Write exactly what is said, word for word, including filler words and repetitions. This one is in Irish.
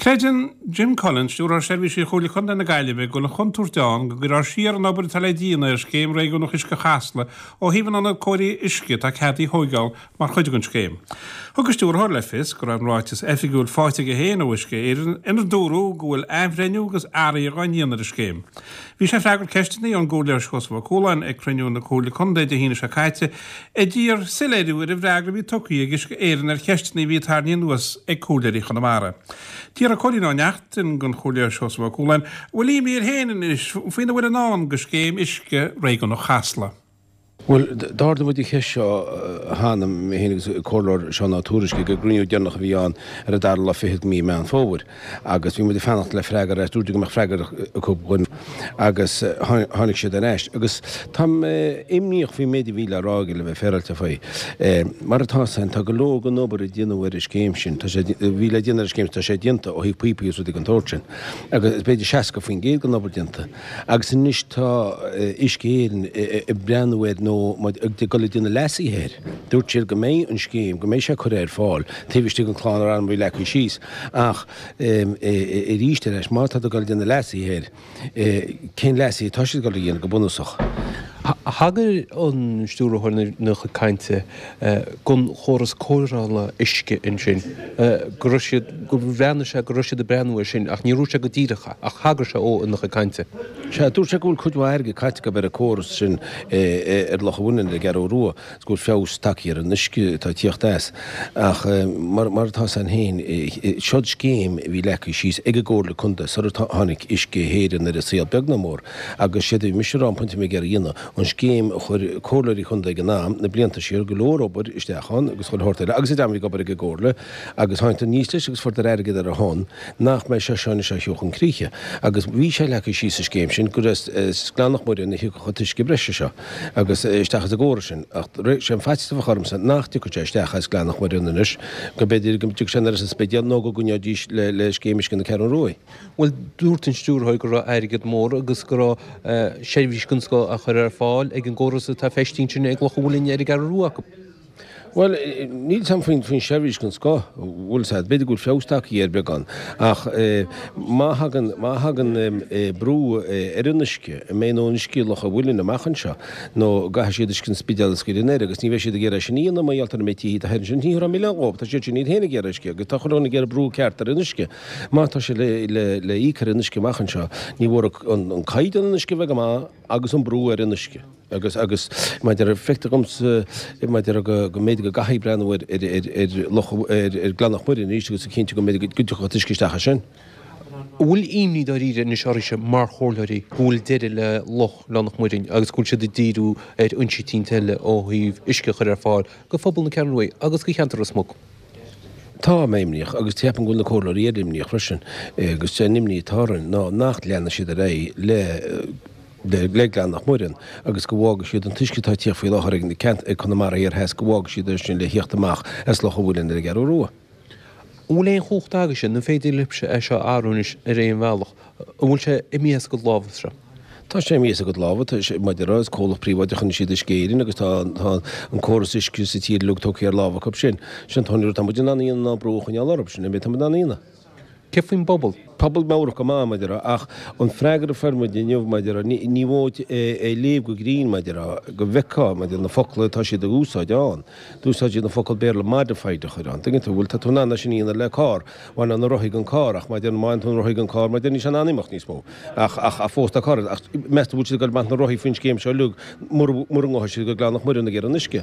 Creideann Jim Cullen, Stiúrthóir Seirbhísí Chomhairle Contae na Gaillimhe, go bhfuil an chontúirt ann go gcuirfear siar an obair atá le déanamh ar scéim réigiúnach uisce Chasla ó thaobh an ionad cóirithe uisce atá ceadaithe a thóigeáil mar chuid den scéim. Thug an stiúrthóir le fios go raibh an ráiteas oifigiúil faighte aige féin ó Uisce Éireann inar dúradh go bhfuil athbhreithniú agus athruithe á ndéanamh ar an scéim. Bhí sé ag freagairt ceisteanna ón gComhairleoir Seosamh Ó Cualáin ag cruinniú na Comhairle Contae Dé hAoine seo caite a d'iarr soiléiriú ar an bhfreagra a bhí tugtha ag Uisce Éireann ar cheisteanna a bhí tarraingthe anuas ag comhairleoirí Chonamara. D'fhiafraigh Cóilín Ó Neachtain den Chomhairleoir Seosamh Ó Cualáin an bhfuil imní air féin anois faoina bhfuil i ndán do scéim uisce réigiúnach Chasla. Bhuel, d'ardaigh muid an cheist seo cheana, mé féin agus an Comhairleoir Seán Ó Tuairisg ag an gcruinniú deireanach a bhí ann ar an dara lá fichead de mhí Meán Fómhair agus bhí muid ag fanacht le freagra ar ais, dúirt go mbeadh freagra acu dhúinn agus tháinig siad ar ais. Agus tá mé imníoch faoin méid a bhí le rá aige le bheith féaráilte faoi. Mar atá san, tá go leor den obair a déanadh ar an scéim sin, tá sé, a bhí le déanamh ar an scéim, tá sé déanta ó thaobh píopaí agus rudaí den tsórt sin agus b'fhéidir seasca faoin gcéad den obair déanta. Agus anois tá Uisce Éireann ag breathnú air nó ag dul ag déanamh leasaithe air. Dúirt siad go mbeidh an scéim, go mbeidh sé curtha ar fáil taobh istigh den chlár ama a bhí leagtha síos ach arís ar ais, má tá tú ag dul ag déanamh leasaithe air, cén leasaithe atá siad ag dul a dhéanamh go bunúsach? Thagair an stiúrthóir ina chuid cainte don chóras cóireála uisce ansin, go raibh siad, gur bhreathnaigh sé go raibh siad ag breathnú air sin ach níor dhúirt sé go díreach é ach thagair sé dó ina chuid cainte. Sea, dúirt sé go bhfuil cuid mhaith airgid caite acu ar an córas sin ar Loch an Mhuilinn ar an gCeathrú Rua is go bhfuil feabhas tagtha ar an uisce atá ag tíocht as ach mar atá san féin, seod scéim a bhí leagtha síos ag an gComhairle Contae sar a tháinig Uisce Éireann ar an saol beag ná mór agus séard a bhí mise a rá an pointe a bhí mé ag iarraidh a dhéanamh, an scéim a chuir comhairleoirí chontae ag an am, na blianta siar, go leor obair isteach ann agus chuile shórt eile agus an dream a bhí ag obair ag an gcomhairle agus tháinig aníos leis agus fuaireadar airgead ar a shon nach mbeidh sé seo anois á chur chun críche. Agus bhí sé leagtha síos sa scéim sin gur as Gleann Loch Muireann a thiocfadh an t-uisce breise seo agus isteach as an gcóras sin ach sé an faitíos a bheadh ormsa nach dtiocfadh sé isteach as Gleann Loch Muireann anois, go mb'fhéidir go dtiocfadh sé anoir as an Spidéal nó go gcoinneoidís le scéim uisce na Ceathrún Ruaidh. Bhuel, dúirt an stiúrthóir go raibh airgead mór agus go raibh seirbhís den scoth á chur ar fáil ag an gcóras atá feistithe ansin ag Loch an Mhuilinn ar an gCeathrú Rua acu. Bhuel, níl 'fhios a'm faoin faoin seirbhís den scoth, bhfuil 'fhios a'd, b'fhéidir go bhfuil feabhas tagtha air beagán, ach má thagann, má thagann brú ar an uisce, an mbeidh a ndóthain uisce i Loch an Mhuilinn amach anseo, nó an gcaithfidh siad uisce an Spidéil a scaoileadh anoir agus ní bheidh siad ag iarraidh sin a dhéanamh mar gheall ar an méid tithe atá thoir ansin, ní thabharfá milleán dhóibh, tá siad sin iad féin ag iarraidh uisce agus tá chuile dhuine ag iarraidh brú ceart ar an uisce. Má tá sé le íoc ar an uisce amach anseo, ní mhór an caighdeán an uisce a bheith go maith agus an brú ar an uisce. Agus, agus maidir le, feictear dhomsa, maidir le go, go mb'fhéidir go gcaithfí breathnú ar, ar, ar, ar Loch, ar, ar Ghleann Loch Muireann arís agus a chinntiú go mb'fhéidir go dtiocfadh an t-uisce isteach as sin. An bhfuil imní dáiríre anois oraibhse mar chomhairleoirí go bhfuil deireadh le Loch Ghleann Loch Muireann agus go bhfuil siad ag díriú ar fhoinsí eicínt eile ó thaobh uisce a chur ar fáil do phobal na Ceathrún Rua agus do cheantar Ros Muc? Tá mé imníoch, agus ceapaim go bhfuil na comhairleoirí eile imníoch freisin, agus sé an imní atá orainn ná nach leanfaidh siad ar aghaidh le le Gleann Loch Muireann agus go bhfágfaidh siad an t-uisce atá ag tíocht faoi láthair ag na ceant ag Conamara Thiar Theas, go bhfágfaidh siad é sin le thíocht amach as Loch an Mhuilinn ar an gCeathrú Rua. An bhfuil aon chumhacht agaibhse, nó an féidir libhse é seo a athrú anois ar aon bhealach? An bhfuil sé imithe as a gcuid lámha seo? Tá sé imithe as a gcuid lámha, tá sé, mar a déarfá, is comhlacht príobháideach anois iad Uisce Éireann agus tá, tá an córas uisce sa tír uilig tógtha ar lámh acu sin. Sin an t-aon rud atá muid in ann a dhéanamh ná brú a choinneáil orthu, sin an méid atá muid in ann a dhéanamh. Céard faoin bpobal? Pobal meabhrach go maith, mar a déarfá, ach an freagra a fuair muid inniu, mar a déarfá, ní, ní mhóid é a léamh go grinn, mar a déarfá, go bhfeicfeá, mar a déarfá, na focla atá siad a úsáid ann. D'úsáid siad an focal Béarla modified a chur ann. Tuigeann tú, bhuel, tá tú in ann é sin a dhéanamh le carr. Bhain an rothaí den carr, ach má déanann, má bhaineann tú an rothaí den carr, má déanann, níl sé in ann imeacht níos mó. Ach, ach, ach fós tá carr, ach meas tú an bhfuil siad ag dul ag baint na rothaí faoin scéim seo uilig mura, mura ngabhfaidh siad go Gleann Loch Muireann ag iarraidh an uisce?